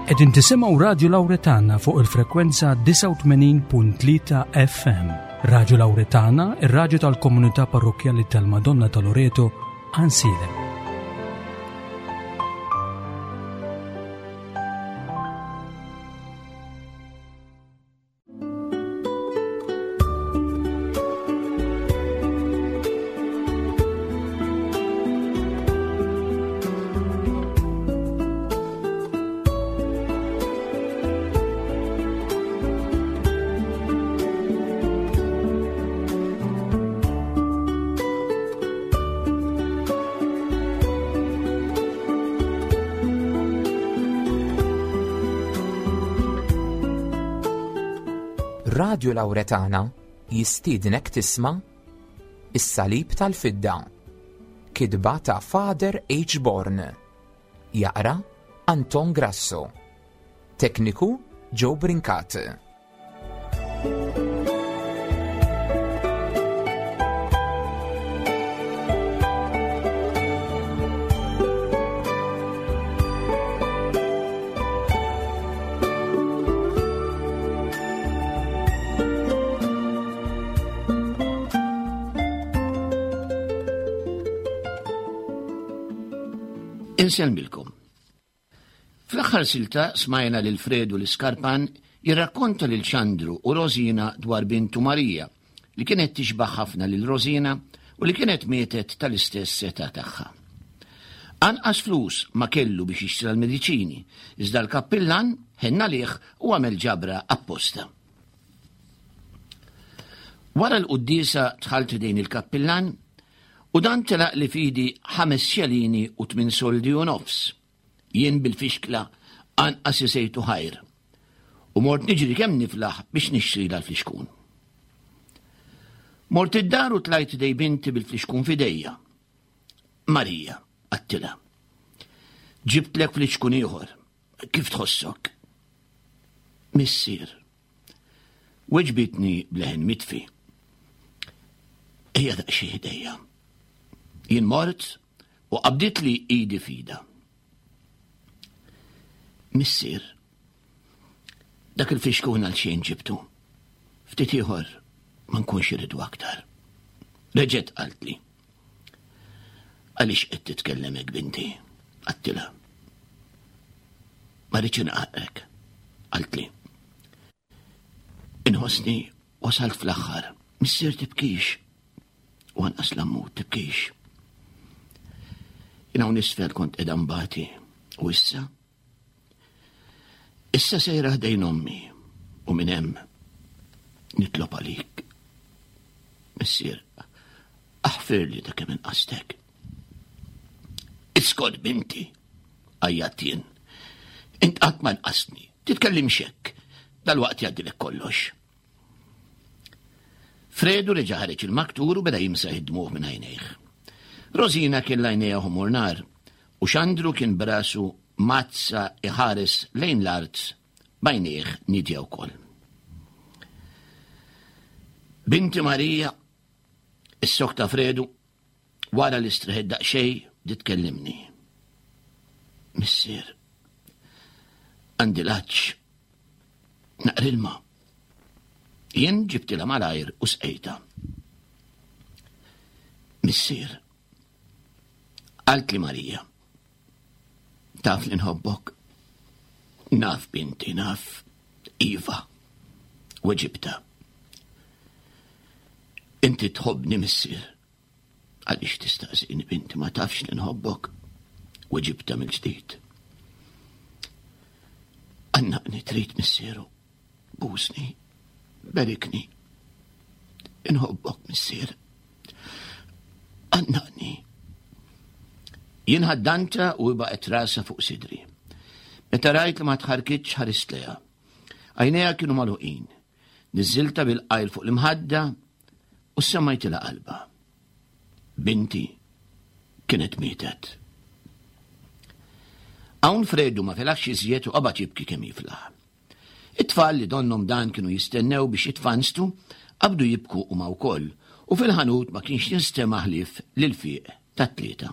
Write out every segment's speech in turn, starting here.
Qegħdin tisimgħu Radju Lawretana fuq il-frekwenza 89.3 FM. Radju Lawretana, ir-radju tal-komunità parrokkjali tal-Madonna ta' Loreto, Ansilem. Radju Lawretana jistiednek tisma' Is-Salib tal-Fidda. Kitba ta' Father H. Born. Jaqra Anton Grasso. Tekniku Joe Brincat. Insellmilkom. Fl-aħħar silta smajna lil Fredu l-Iskarpan jirrakkonta lil Xandru u Rosina dwar bintu Marija li kienet tixbaħ ħafna lil Rosina u li kienet mietet tal-istess età tagħha. Anqas flus ma kellu biex jixtri l-mediċini, iżda l-kappillan ħenna għalih u għamel ġabra apposta. Wara l-quddiesa dħalt ħdejn il-kappillan U dan telaqli f'idi ħames xelini u tmin soldi u nofs. Jien bil-fixkla anqas isejtu ħajr. U mort niġri kemm niflaħ biex nixtrilha l-flixkun. Mort id-dar u tlajt dej binti bil-flixkun f'idejja. Marija, għattilha. Ġibtlek flixkun ieħor. Kif tħossok? Missier, Weġbitni b'leħen mitfi. Ejja daqsxejn ħdejja. Jien mort u qabditli idi fida. Missier, dak il-fixkun għal xejn ġibtu. Ftit ieħor ma nkunx irridu aktar. Reġgħet qaltli. Għaliex qed titkellem hekk binti? Għattilha. Ma rridx inqaqrek, qaltli. Inħossni wasalt fl-aħħar. Missier tibkix. U anqas l-ammut tibkix. Jien hawn isfel kont qiegħda nbati. U issa? Issa sejra ħdejn ommi u minn hemm nitlob għalik. Missier, aħfirli ta' kemm inqastek. Iskot binti, għajjat jien. Int qatt ma nqasni, titkellimx hekk, dal-waqt jgħaddilek kollox. Fredu reġa' ħareġ il-maktur u beda jimsaħ id-dmugħ minn għajnejh. Rosina kellha għajnejha ħomor nar u Xandru kien brasu mazza iħares lejn l-art b'għajnejh nidja wkoll. Binti Marija, is-sok ta' Fredu, Wara li streħet daqsxejn bdiet tkellimni. Missier, għandi l-għatx. Naqra ilma. Jien ġibtilha malajr u sqejta. Missier, qaltli Marija, taf li nħobbok? Naf binti, naf. Iva, weġibta. Inti tħobbni missier. Għaliex tistaqsini binti ma tafx li nħobbok? Weġibta mill-ġdid. Għannaqni trid missieru. Busni. Berikni. Inħobbok missier. Għannaqni. Jien ħaddanta u baqgħet rasa fuq sidri. Meta rajt li ma tħarkitx ħarist lejha. Għajnejha kienu magħluqin. Niżżiltha bil-qajl fuq l-imħadda u semmajtilha qalbha. Binti kienet mietet. Hawn Fredu ma felaħx iżjed u qabad jibki kemm jiflaħ. It-tfal li donnhom dan kienu jistennew biex jitfanstu qabdu jibku huma wkoll u fil-ħanut ma kienx jinstema' ħlief l-ilfiq tat-tlieta.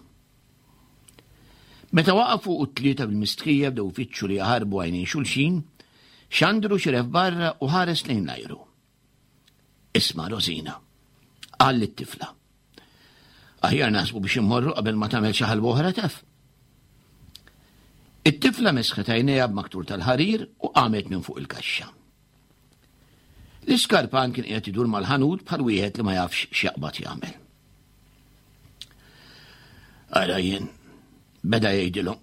Meta waqafu u t-tlieta bil-mistħija bdew ifittxu li jaħarbu għajnejn xulxin, Xandru xiref barra u ħares lejn l-ajru. Isma' Rosina, qal lit-tifla. Aħjar naħsbu biex immorru qabel ma tagħmel xi ħalba oħra taf. It-tifla mesħet għajnejha b'maktur tal-ħarir u qamet minn fuq il-kaxxa. L-iskarpan kien qiegħed idur mal-ħanut bħal wieħed li ma jafx x'jaqbad jagħmel. Ara jien, beda jgħidilhom,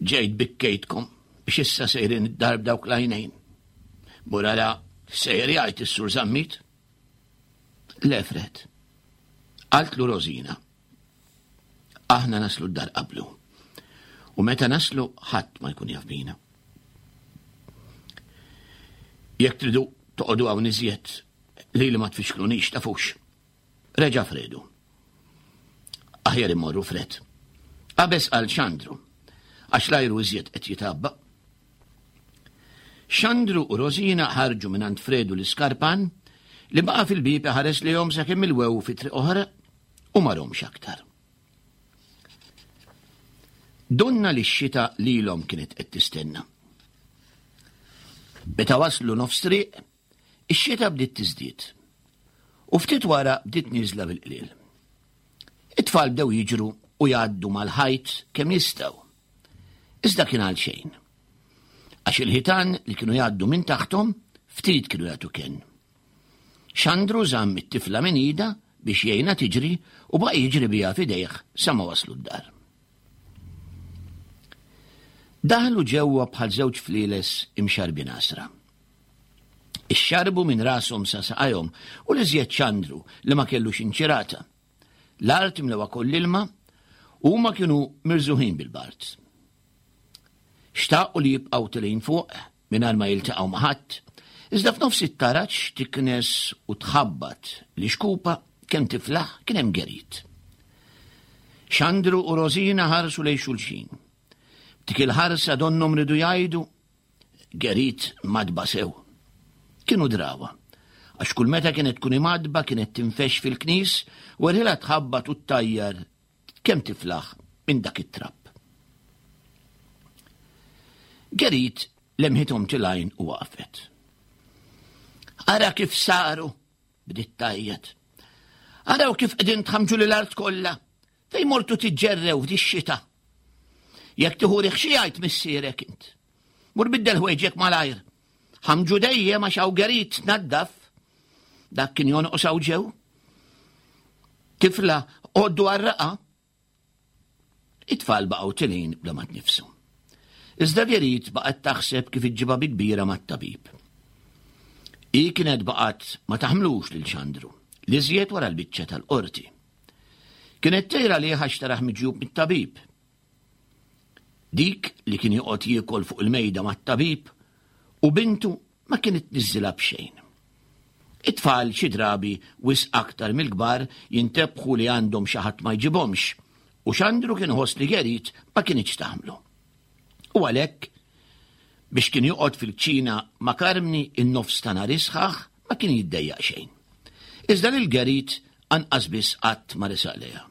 ġejt bikkejtkom biex issa sejrin id-dar b'dawk l-għajnejn. Mur ara sejr jgħid is-sur Zammit. Le Fred, qaltlu Rosina. Aħna naslu d-dar qablu. U meta naslu ħadd ma jkun jaf bina. Jekk tridu toqogħdu hawn iżjed li li ma tfixklunix tafux. Reġa' Fredu. Aħjar immorru Fred. Qabeż għal Xandru, għax l-ajru iżjed qed jitabba. Xandru u Rosina ħarġu minn għand Fredu l-iskarpan li baqa' fil-bieb iħares lejhom sakemm ilwew fi triq oħra u ma romx aktar. Donna li x-xita lilhom kienet qed tistenna. Meta waslu nofs triq, ix-xita bdiet tiżdied. U ftit wara bdiet nieżla bil-qliel. It-tfal bdew jiġru u jgħaddu mal-ħajt kemm jistgħu. Iżda kien għal xejn. Għax il-ħitan li kienu jgħaddu minn taħthom ftit kienu jagħtu kenn. Xandru żamm it-tifla minn idha biex jgħinha tiġri u baqa' jiġri biha f'idejh sa ma waslu d-dar. Daħlu ġewwa bħal żewġ flieles imxarrbin għasra. Ixxarrbu minn rashom sa saqajhom u l-iżjed Xandru li ma kellux inċirata. L-art imlewha koll ilma u huma kienu mirżuħin bil-bard. Xtaqu li jibqgħu tilgħin fuq mingħajr ma jiltaqgħu ma' ħadd, iżda f'nofs it-taraġ tiknes u tħabbat l-ixkupa kemm tiflaħ kien hemm Gerit. Xandru u Rosina ħarsu lejn xulxin. B'dik il-ħarsa donnhom ridu jgħidu Gerit madba sew. Kienu drawa, għax kull meta kienet tkun imadba kienet tinfex fil-knis u erħilha tħabbat u ttajjar kemm tiflaħ minn dak it-trapp. Gerit lemħithom tilgħin u waqfet. Ara kif saru, bdiet tgħajjat. Araw kif qegħdin tħamġu lil art kollha, fejn mortu tiġġerrew f'dix-xita. Jekk tieħu riħ xi jgħid missierek int. Mur biddel ħwejġek malajr. Ħamġu dejjem għax hawn Gerit tnaddaf. Dak kien jonqos hawn ġew. Tifla għoddu għarraqa. It-tfal baqgħu tilin bla ma tnifsu. Iżda Gerit baqgħet taħseb kif iġġibha bi kbira mat-tabib. Hi kienet baqgħet ma taħmlux lil Xandru, li żjed wara l-biċċa tal-qorti. Kienet tgħir għalih għax taraħ miġjub mit-tabib. Dik li kien joqgħod jiekol fuq il-mejda mat-tabib u bintu ma kienet tniżżilha b'xejn. It-tfal xi drabi wisq aktar mill-kbar jintebħu li għandhom xi ħadd ma jġibhomx u Xandru kien iħoss li Gerit ma kinitx taħmlu. U għalhekk biex kien joqgħod fil-kċina ma' Karmni in-nofs ta' nhar isħaħ ma kien jiddejjaq xejn. Iżda lil Gerit anqas biss qatt ma resaq lejha.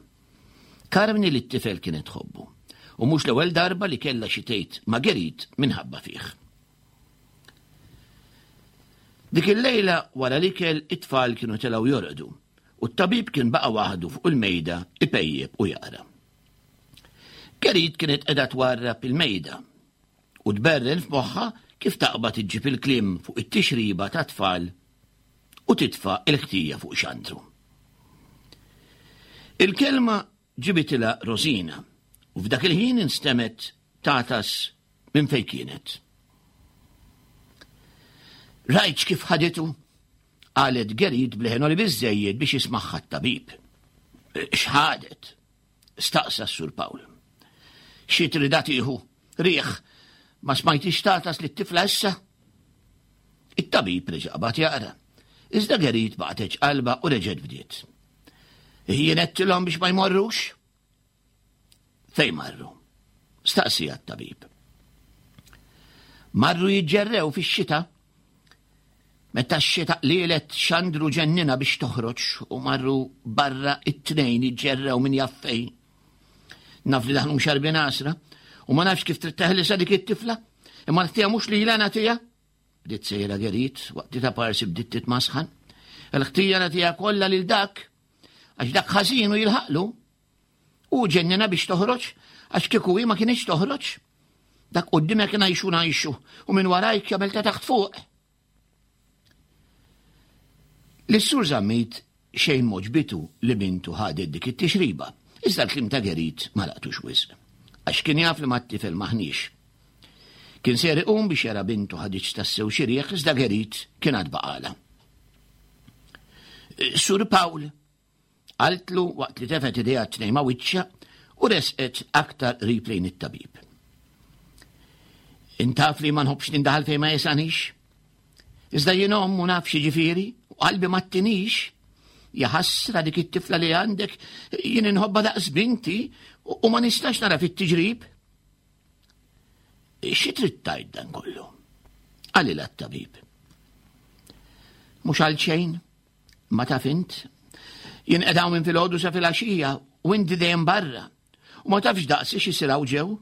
Karmni li t-tifel kienet tħobbu, u mhux l-ewwel darba li kellha xi tgħid ma' Gerit minħabba fih. Dik il-lejla wara l-ikel it-tfal kienu telgħu jorqdu u t-tabib kien baqa' waħdu fuq il-mejda ipejjep u jaqra. Gerit kienet qiegħda twarrab il-mejda u tberren f'moħħha kif taqbad iġġib il-kliem fuq it-tixriba tat-tfal u titfa' l-ħtija fuq Xandru. Il-kelma ġibitilha Rosina u f'dak il-ħin instemgħet tagħtas minn fejn kienet. Rajtx kif ħaditu? qalet Gerit b'leħen li biżżejjed biex jismagħha t-tabib. X'ħadet? staqsa s-Sur Pawl. Xi tridha tieħu? Riħ, ma smajtix tagħtas lit-tifla issa? It-tabib reġa' qabad jaqra. Iżda Gerit baqgħet qalba u reġgħet bdiet. Jien għedtilhom biex ma jmorrux? Fejn marru? Staqsija t-tabib. Marru jiġġerrew fix-xita. Meta x-xita qlielet xandru ġennina biex toħroġ u marru barra it-tnejn jiġġerrew min jaf fejn. Naf li daħlu mxarbin għasra u ma nafx kif trid teħlisa dik it-tifla, imma l-ħtija mhux lilha nagħtiha. Bdiet sejra Gerit waqt li ta' parsi bdiet titmasħan. Il-ħtija nagħtiha kollha lil dak għax dak ħażin u jilħaqlu. U ġennina biex toħroġ għax kieku hi ma kienx toħroġ. Dak quddimek ngħixu ngħixu u minn warajk jagħmel ta' taħt fuq. Lis-Sur Zammit xejn m'għoġbitu li bintu ħadet dik it-tixriba, iżda l-kliem ta' Gerit ma laqtux wisq, għax kien jaf li mat-tifel m'aħniex. Kien ser iqum biex jara bintu ħaditx tassew xi rieħ iżda Gerit kien għad baqalha. Sur Pawl, Qaltlu waqt li tefgħet idejha t-tnejn ma' wiċċha u resqet aktar qrib lejn it-tabib. Intaf li ma nħobbx nindaħal fejn ma jesanix. Iżda jien omm u naf xi u qalbi ma tinix. Jaħasra dik it-tifla li għandek jien inħobba daqs binti u ma nistax nara fit-tiġrib. Xi trid tgħid dan kollu? Qalilha t-tabib. Mhux għal xejn, Ma taf int? Jien qed hawn minn filgħodu sa filgħaxija u inti dejjem barra. U ma tafx daqsi x'isir hawn ġew.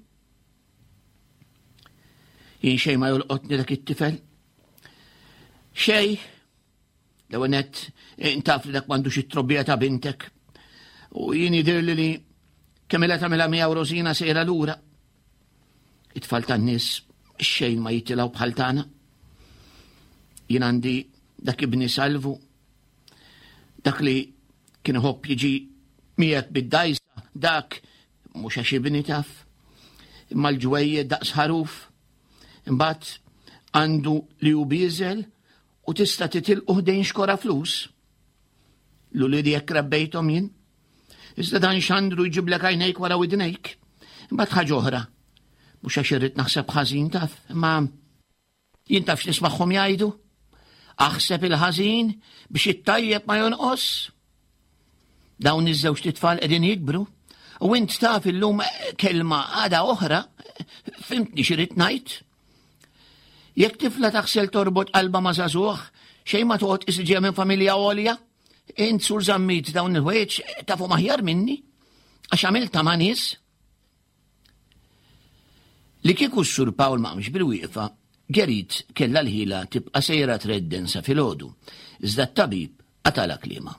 Jien xejn ma jolqotni dak it-tifel. Xej, l-ewwel nett intaf li dak m'għandux it-trobbija ta' bintek. U jien jidhirli li kemm ilha tagħmilha miegħu Rosina sejra lura. It-tfal tan-nies xejn ma jitilgħu bħal tagħna. Jien għandi dak ibni Salvu, dak li kien iħobb jiġi miegħek bid-dajsa, dak mhux għax ibni taf, imma l-ġwejjed daqs ħaruf. Imbagħad għandu li hu bieżel u tista' titilqu ħdejn xkora flus. L-uliedi jekk rabbejthom jien. Iżda dan xandru jġiblek għajnejk wara widnejk. Imbagħad ħaġa oħra. Mhux għax irrid naħseb ħażin taf, imma jien taf x'nismagħhom jgħidu. Aħseb il-ħażin biex it-tajjeb ma jonqos. Dawn iż-żewġ tfal qegħdin jikbru. U int taf illum kelma għada oħra, fimtni x'irid ngħid. Jekk tifla taħsel torbot qalba ma' żagħżugħ, xejn ma toqgħod isġija minn familja għolja. Int sur Zammit dawn il-ħwejjeġ tafhom aħjar minni għax għamilta ma' nies. Li kieku s-sur Pawl ma qamx bil-wieqfa, Gerit kellha l-ħila tibqa' sejra tredden sa filgħodu, iżda t-tabib qatala kliema.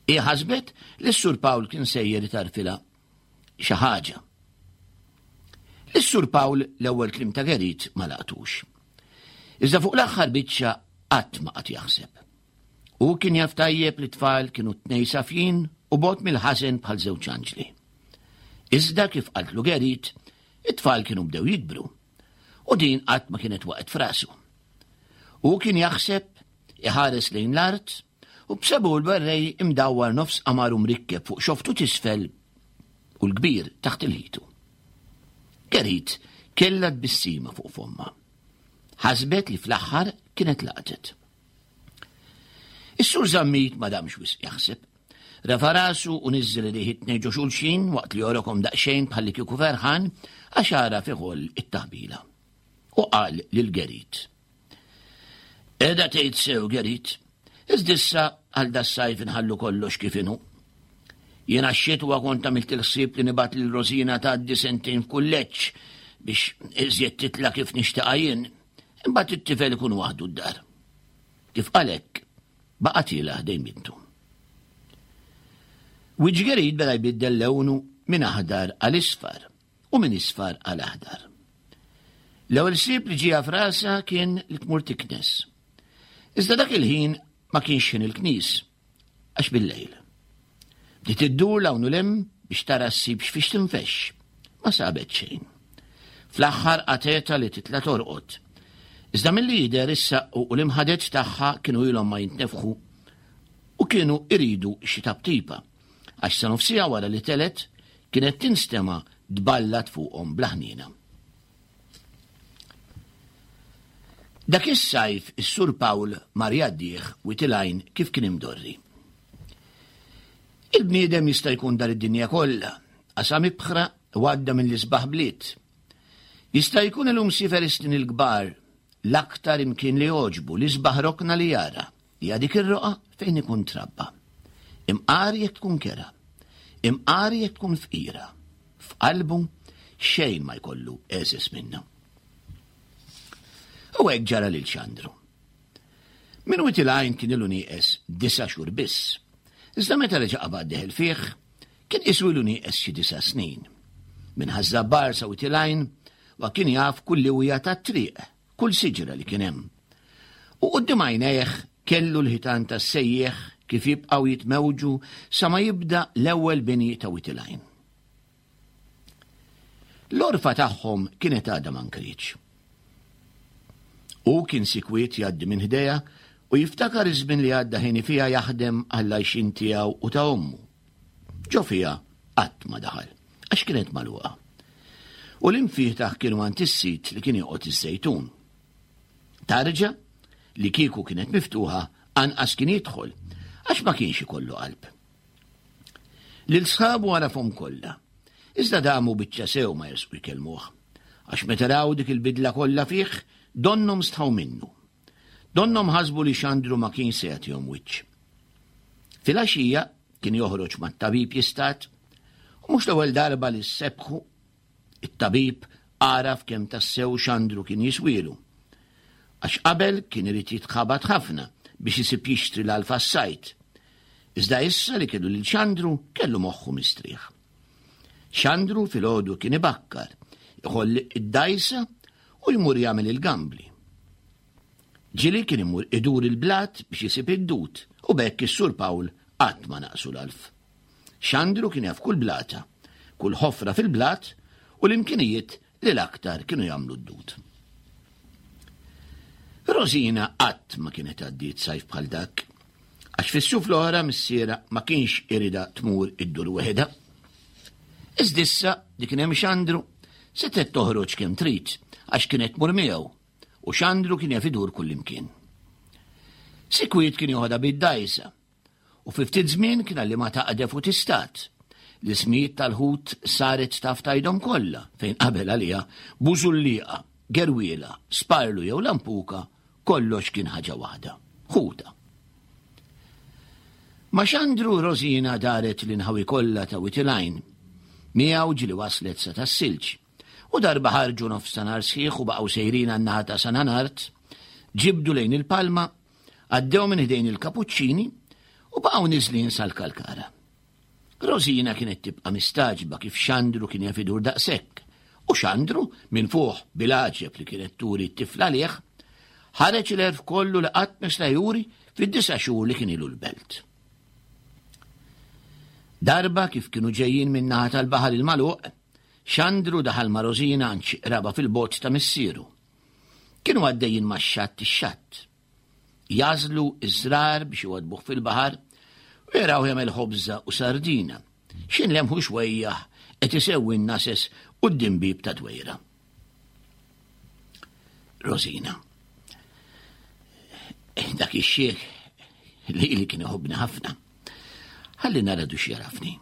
Hi ħasbet li s-sur Pawl kien sejjer itarfilha xi ħaġa. Is-Sur Pawl l-ewwel kliem ta' Gerit ma laqtux. Iżda fuq l-aħħar biċċa qatt ma qagħad jaħseb. Hu kien jaf tajjeb li t-tfal kienu tnej safjin u bogħod mill-ħażen bħal żewġ anġli. Iżda kif qaltlu Gerit, it-tfal kienu bdew jikbru. U din qatt ma kienet waqgħet f'rasu. Hu kien jaħseb, iħares lejn l-art, u b'sebu l-werrej imdawwar nofs qamar u mrikkeb fuq xoftu t'isfel u l-kbir taħt il-ħitu. Gerit kellha tbissima fuq fomma. Ħasbet li fl-aħħar kienet laqtet. Is-sur Zammit ma damx wisq jaħseb. Refa' rasu u niżżel idejh it-tnejn ġo xulxin waqt li jorokom daqsxejn bħalli kieku ferħan għax għaraf iħoll it-taħbila. U qal lil Gerit. Qiegħda tgħid sew, Gerit. Iżda issa għal das-sajf inħallu kollox kif inhu. Jiena x-xitwa kont għamilt il-ħsieb li nibgħat lil Rosina tgħaddi sentejn f'kulleġġ biex iżjed titla' kif nixtieqha jien. Imbagħad it-tifel ikun waħdu d-dar. Kif qal hekk, baqa' tiela' ħdejn bintu. Wiċċ Gerit beda jbiddel lewnu minn aħdar għal isfar. u minn isfar għal aħdar. L-ewwel ħsieb li ġieha f'rasha kien li tmur tiknes. Iżda dak il-ħin ma kienx ħin il-knis, għax bil-lejl. Bdiet iddur l hawn u lem biex tara ssib x'fiex tinfexx. Ma sabet xejn. Fl-aħħar qatgħetha li titla' torqod. Iżda milli jidher is-saqqu u l-imħadet tagħha kienu ilhom ma jintnefħu u kienu iridu xi taptipa. Għax sa nofs siegħa wara li telgħet, kienet tinstema' tballat fuqhom bla ħniena. Dak is-sajf is-Sur Pawl mar jgħaddih Wied il-Għajn kif kien imdorri. Il-bniedem jista' jkun dar id-dinja kollha, qasam ibħra u għadda minn l-isbaħ bliet. Jista' jkun illum siefer is-snin il-kbar, l-aktar imkien li jogħġbu, l-isbaħ rokna li jara. Hija dik ir-roqgħa fejn ikun trabba. Imqar jekk tkun kerha. Imqar jekk tkun fqira. F'qalbu xejn ma jkollu eżis minnu. U hekk ġara lil Xandru. Minn Wied il-Għajn kien ilu nieqes disa' xhur biss. Iżda meta reġa' qabad deħel fih, kien qisu ilu nieqes xi disa' snin. Minn Ħaż-Żabbar sa Wied il-Għajn, wa kien jaf kull liwja tat-triq, kull siġra li kien hemm. U quddiem għajnejh kellu l-ħitan tas-sejjieħ kif jibqgħu jitmewġu sa ma jibda l-ewwel bini ta' Wied il-Għajn. L-għorfa tagħhom kienet għadha ma nkrietx. Hu kien sikwiet jgħaddi minn ħdejha u jiftakar iż-żmien li għadda ħini fiha jaħdem għall-għajxien tiegħu u ta' ommu. Ġo fiha qatt ma daħal, għax kienet magħluqa. U l-imfietaħ kienu għand is-sid li kien joqgħod iż-Żejtun. Tarġa, li kieku kienet miftuħa, anqas kien jidħol, għax ma kienx ikollu qalb. Lil sħabu għarafhom kollha. Iżda damu biċċa sew ma jersqu jkellmuh. Għax meta raw dik il-bidla kollha fih, donnhom stħaw minnu. Donnhom ħasbu li Xandru ma kienx se jagħtihom wiċċ. Filgħaxija kien joħroġ mat-tabib jistad u mhux l-ewwel darba li sebħu It-tabib għaraf kemm tassew Xandru kien jiswielu. Għax qabel kien irid jitħabat ħafna biex isib jixtri l-għalf għas-sajd. Iżda issa li kellu lil Xandru kellu moħħu mistrieħ. Xandru filgħodu kien ibakkar, iħoll id-dgħajsa u jmur jagħmel il-gambli. Ġieli kien imur idur il-blat biex isib id-dud u b'hekk is-Sur Pawl qatt ma naqsu l-għalf. Xandru kien jaf kull blata, kull ħofra fil-blat u l-imkinijiet li l-aktar kienu jagħmlu d-dud. Rosina qatt ma kienet għaddiet sajf bħal dak, għax fis-suf l-oħra missiera ma kienx irida tmur iddur weħida. Iżdissa li kien hemm Xandru setgħet toħroġ kemm trid għax kienet tmur miegħu u Xandru kien jaf idur kullimkien. Sikwit kien joħodha bid-dgħajsa u fi ftit żmien kien għallimha taqdef u tistad. L-ismijiet tal-ħut saret taf tgħidhom kollha fejn qabel għaliha bużulliqa, gerwiela, sparlu jew lampuka kollox kien ħaġa waħda, ħuta. Ma' Xandru Rosina daret l-inħawi kollha ta' Wied il-Għajn. Miegħu ġieli waslet sa tas-silġ. U darba ħarġu nofstanhar sħiħ u baqgħu sejrin għan-naħa ta' San Anart, ġibdu lejn il-Palma, għaddew minn ħdejn il-Kapuċċini u baqgħu niżlin sal-Kalkara. Rosina kienet tibqa' mistagħġba kif Xandru kien jaf idur daqshekk, u Xandru, minn fuq bil-għaġeb li kienet turi t-tifla għalih, ħareġ l-għerf kollu li qatt ma seta' juri fid-disa' xhur li kien ilu l-belt. Darba kif kienu ġejjin min-naħa tal-baħar il-magħluq, Xandru daħal ma' Rosina għand xi qraba fil-bogħod ta' missieru. Kienu għaddejjin max-xatt ix-xatt. Jagħżlu ż-żrar biex iwaddbuh fil-baħar u jarawh jagħmel ħobża u sardina. X'in lemħu xwejjaħ qed isewwi n-nases quddiem bieb ta' dwejra. Rosina. Dak ix-xiħ li li kien iħobbni ħafna. Ħalli nara dux jarafni.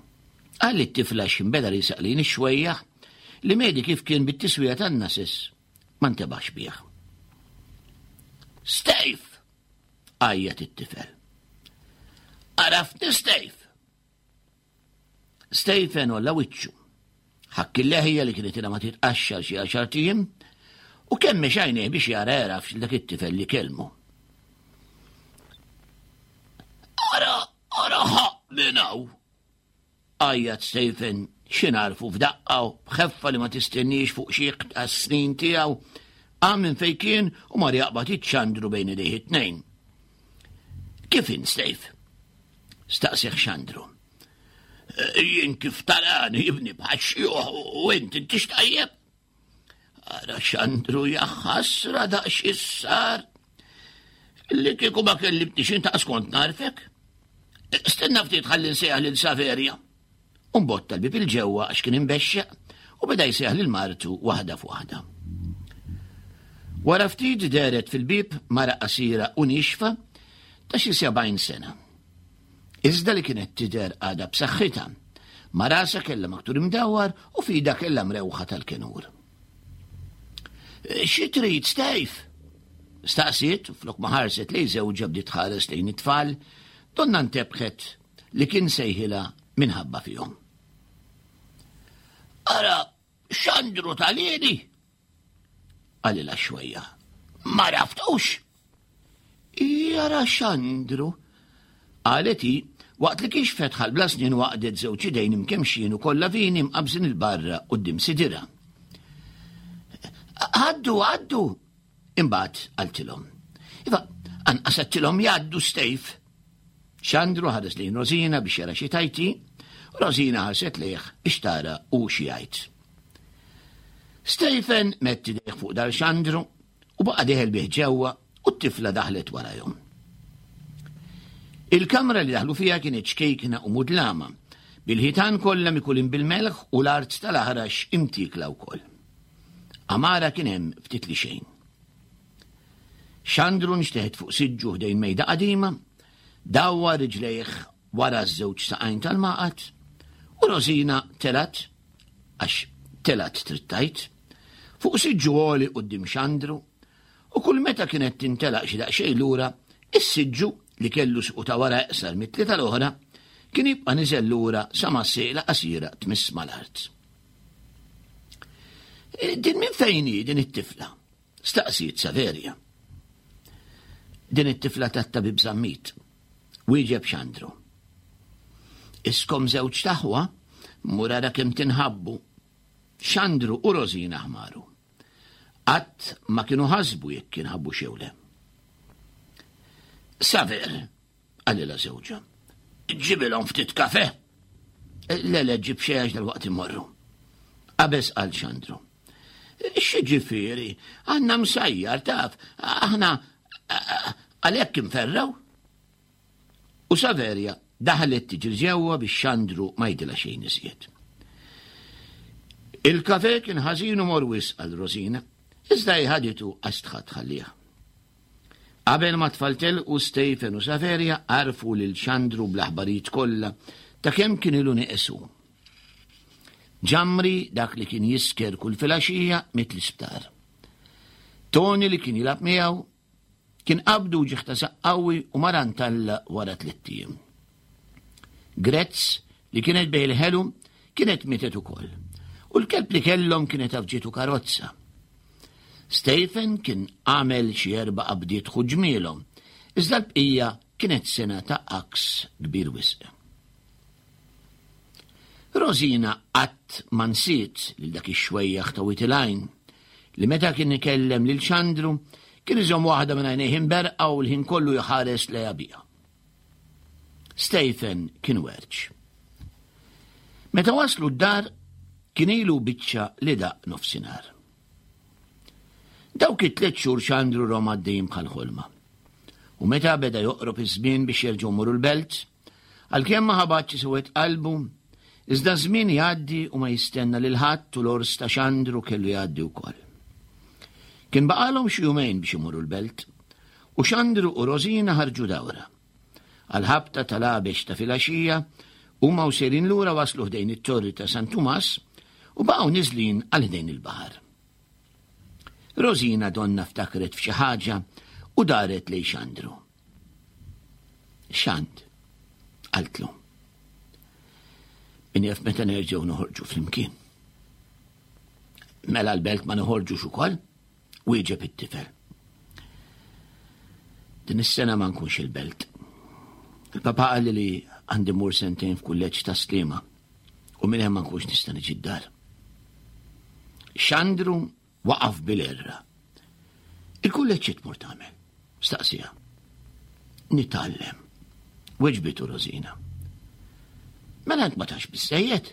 Għalli t-tifla ximbeda li saqlin ix-xwejjaħ li medi kif kien bit-tiswija tan-nases ma ntebax bih. Stejf! għajjat it-tifel. Għaraftni Stejf! Stephen olla wiċċu. Ħakk il-leħja li kienet ilha ma titqaxxar xi għaxar tiem u kemm għajnejh biex jara jarafx dak it-tifel li kellmu. Ara, ara ħaq minn hawn! Għajjat Stephen xi narfu f'daqqa u b'ħeffa li ma tistenniex fuq xi tas-snin tiegħu qam minn fejn kien u mar jaqbad iċ-ċandru bejn idejh it-tnejn. Kif int, Steve? Staqsih Xandru. Eh, jien kif tarani jibni bħax u int intix tajjeb? Ara Xandru jaħasra daqs issar. Li kieku ma kellimtnix inta skont narfek. Stenna ftit ħalli nsejjaħ lil Saverja. U mbotta l-bib il-ġewwa għax kien imbexxeq u beda jsejjaħ lil martu waħda f'waħda. Wara ftit dehret fil-bieb mara qasira u niexfa ta' xi 70 sena. Iżda li kienet tidher għadha b'saħħitha. Ma' rasha kellha maktur imdawwar u f'idha kellha mrewħa tal-kenur. Xi trid, Stejf? Staqsiet u flok ma ħarset lejn żewġha bdiet tħares lejn it-tfal, donna ntebħet li kien sejħilha minħabba fihom. Ara, Xandru tal-ili! Qalilha xwejja. Ma raftux! Jara Xandru! Qalet hi waqt li kixfet ħalbla snin waqdet żewġ idejn imkemxin u kollha vini mqabżin il-barra quddiem sidirha. Għaddu, għaddu! Imbagħad qaltilhom. Iva, anqas għedtilhom jgħaddu stejf. Xandru ħares lejn Rosina biex jara xi tajti, u Rosina ħarset lejh biex tara u xi jgħid. Stephen mett idejh fuq dar Xandru u baqa' dieħel bih ġewwa u t-tifla daħlet warajhom. Il-kamra li daħlu fiha kienet ċkejkna u mudlama, bil-ħitan kollha mikulin bil-melħ u l-art tal-aħrax imtiekla wkoll. Amara kien hemm ftit li xejn. Xandru nxteħet fuq siġġu ħdejn mejda qadima, dawwa riġlejh wara ż-żewġ saqajn tal-maqat u Rosina telgħet, għax telgħet trid tgħid, fuq siġġu għoli quddiem Xandru u kull meta kienet tintelaq xi daqsxejn lura, is-siġġu li kellu suqu ta' wara iqsar mit-tlieta l-oħra kien jibqa' niżel lura sa ma s-sieqla qasira tmiss mal-art. Eh, din minn fejn hi din it-tifla? Staqsiet Saverja. Din it-tifla tat-tabib Zammit. Wieġeb Xandru. Iskom żewġ taħwa, mur ara kemm tinħabbu. Xandru u Rosina ħmaru. Qatt ma kienu ħasbu jekk jinħabbu xew le. Saver, Qalilha żewġha. Ġibilhom ftit kafe. Le, le, ġib xejn għax dalwaqt immorru. Qabeż qal Xandru. X'ġifieri, għandna msajjar taf, aħna għalhekk inferraw. U Saverja daħlet tiġri ġewwa biex Xandru ma jidilha xejn iżjed. Il-kafe kien ħażin u morwis għal Rosina, iżda jħaditu għax tħadd ħallih. Qabel ma t-tfal telqu, Stephen u Saveria għarrfu lil Xandru bl-aħbarijiet kollha ta' kemm kien ilu nieqes hu. Ġamri, dak li kien jisker kull filgħaxija, miet l-isptar. Tony li kien jilgħab miegħu, kien qabdu uġigħ ta' saqq qawwi u mar għand Alla wara tlett ijiem. Grezz, li kienet bejn il-ħelu, kienet mietet ukoll. U l-kelb li kellhom kienet għafġitu karozza. Stephen kien għamel xi erba' qabdiet ħu ġmielhom, iżda l-bqija kienet sena ta' għaks kbir wisq. Rosina qatt ma nsiet lil dak ix-xwejjaħ ta' Wied il-Għajn li meta kien ikellem lil Xandru kien iżomm waħda minn għajnejh imberqa u l-ħin kollu jħares lejha biha. Stephen kien werċ. Meta waslu d-dar kien ilu biċċa li daq nofsinhar. Dawk it-tliet xhur xandru rom għaddejjin bħal ħolma. U meta beda joqrob iż-żmien biex jerġgħu muru l-belt, għalkemm ma ħabatx isewwed qalbu, iżda żmien jgħaddi u ma jistenna lil ħadd u l-ors ta' xandru kellu jgħaddi wkoll. Kien baqalhom xi jumejn biex imorru l-belt, u xandru u Rosina ħarġu dawra. Għall-ħabta tal-għabex ta' filgħaxija, huma u sejrin lura waslu ħdejn it-torri ta' San Tumas u baqgħu niżlin għal ħdejn il-baħar. Rosina donna ftakret f'xi ħaġa u daret lejn Xandru. Xand, qaltlu. Min jaf meta nerġgħu noħorġu flimkien. Mela l-belt ma noħorġux ukoll? Wieġeb it-tifel. Din is-sena ma nkunx il-belt. Il-papa qalli li għandi mur sentejn f'kulleġġ ta' Sliema u minn hemm ma nkunx nista' niġi d-dar. Xandru waqaf bil-erra. Il-kulleġġ tmur tagħmel? Staqsija. Nitgħallem. Weġbitu Rosina. Mela int ma tax biżejjed?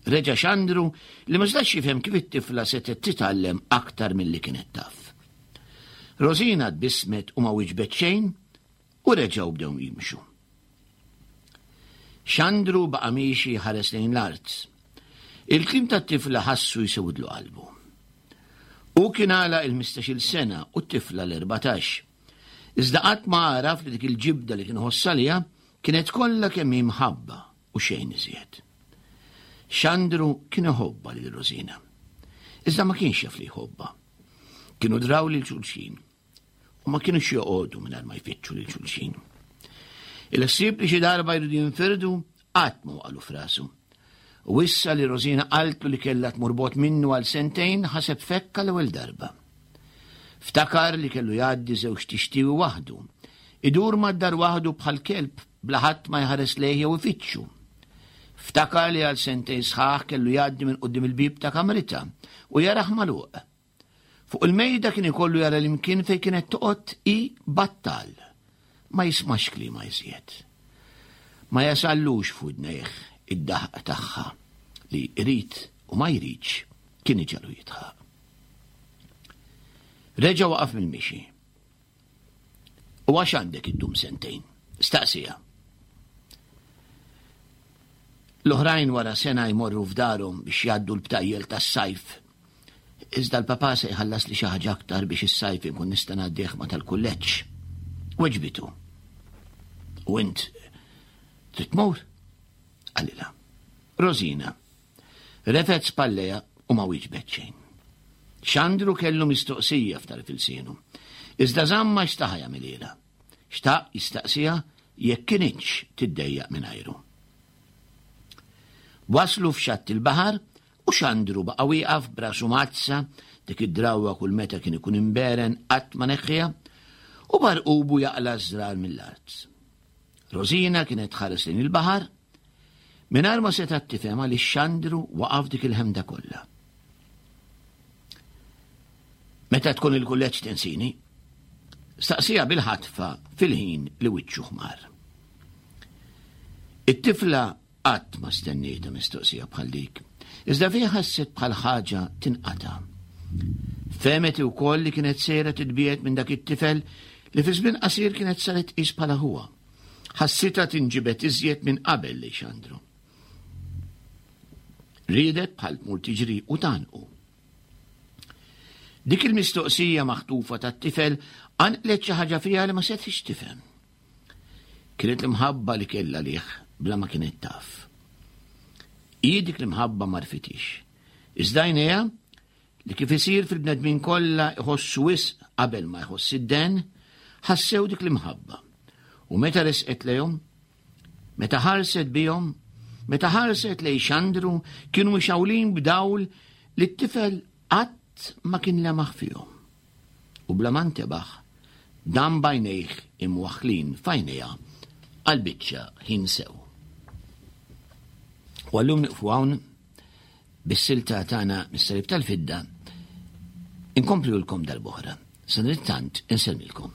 Reġa' xandru li ma setax jifhem kif it-tifla setgħet titgħallem aktar milli kienet taf. Rosina tbissmet u ma wieġbet xejn u reġgħu bdew jimxu. Xandru baqa' miexi jħares lejn l-art. Il-kliem tat-tifla ħassu jsewdlu qalbu. Hu kien għalaq il-ħmistax-il sena u t-tifla l-erbatax. Iżda qatt ma għaraf li dik il-ġibda li kien iħoss għaliha kienet kollha kemm hi mħabba u xejn iżjed. Xandru kien iħobbha lil Rosina. Iżda ma kienx jaf li jħobbha. Kienu draw lil xulxin u ma kienux joqogħdu mingħajr ma jfittxu lil xulxin. Il-ħsieb li xi darba jridu jinfirdu qatt ma waqalu frasu. U issa li Rosina qaltlu li kellha tmur bogħod minnu għal sentejn ħaseb fekka l-ewwel darba. Ftakar li kellu jgħaddi żewġ tixtiewi waħdu. Idur mad-dar waħdu bħal kelb bla ħadd ma jħares lejh jew ifittxu. Ftakar li għal sentejn sħaħ kellu jgħaddi minn quddiem il-bieb ta' kamritha u jarah magħluq. Fuq il-mejda kien ikollu jara l-imkien fejn kienet toqgħod hi battal. Ma jismax kliema iżjed. Ma jasallux f'widnejh id-daħq tagħha li jrid u ma jridx kien iġegħlu jidħaq. Reġa' waqaf mill-mixi. U għax għandek iddum sentejn? Staqsija. L-oħrajn wara sena jmorru f'darhom biex jgħaddu l-btajjel tas-sajf. Iżda l-papà se jħallas li xi ħaġa aktar biex is-sajf inkun nista' ngħaddih ma' tal-kulleġġ. Weġbitu. U int trid tmur? Qalilha. Rosina. Refgħet spallejha u ma wieġbet xejn. Xandru kellu mistoqsija f'tarf ilsienu. Iżda żammha xtaħa jagħmilhielha. Xtaq jistaqsiha jekk kinitx tiddejjaq mingħajru. Waslu f'xatt il-baħar u Xandru baqa' wieqaf b'rasu mgħaddsa, dik id-drawwa kull meta kien ikun imberen qatt ma neħħiha, u barqubu jaqla' ż-żrar mill-art. Rosina kienet tħares lejn il-baħar mingħajr ma setgħet tifhem għaliex Xandru waqaf dik il-ħemda kollha. Meta tkun il-kulleġġ tinsini? Staqsija bil-ħatfa fil-ħin li wiċċu ħmar. It-tifla qatt ma stennieta mistoqsija bħal dik, iżda fiha ħasset bħal ħaġa tinqata'. Fehmet ukoll li kienet sejra titbiegħed minn dak it-tifel li fi żmien qasir kienet saret tqis bħala ħuha. Ħassitha tinġibed iżjed minn qabel lejn Xandru. Riedet bħal tmur tiġri u tgħannqu. Dik il-mistoqsija maħtufa tat-tifel qanqlet xi ħaġa fiha li ma setgħetx tifhem. Kienet l-imħabba li kellha lih bla ma kienet taf. Hi dik l-imħabba ma rfitix. Iżda għajnejha li kif isir fil-bnedmin kollha iħossu wisq qabel ma jħoss id-den, ħassew dik l-imħabba. U meta resqet lejhom, meta ħarset bihom, meta ħarset lejn Xandru, kienu mixgħulin b'dawl li t-tifel qatt ma kien lemaħ fihom. U bla ma ntebaħ, dam b'għajnejh imwaħħlin f'għajnejha għal biċċa ħin sew. U għallum niqfu hawn bis-silta tagħna mis-Salib tal-Fidda inkomplulkom darb'oħra. Sadanittant insellmilkom.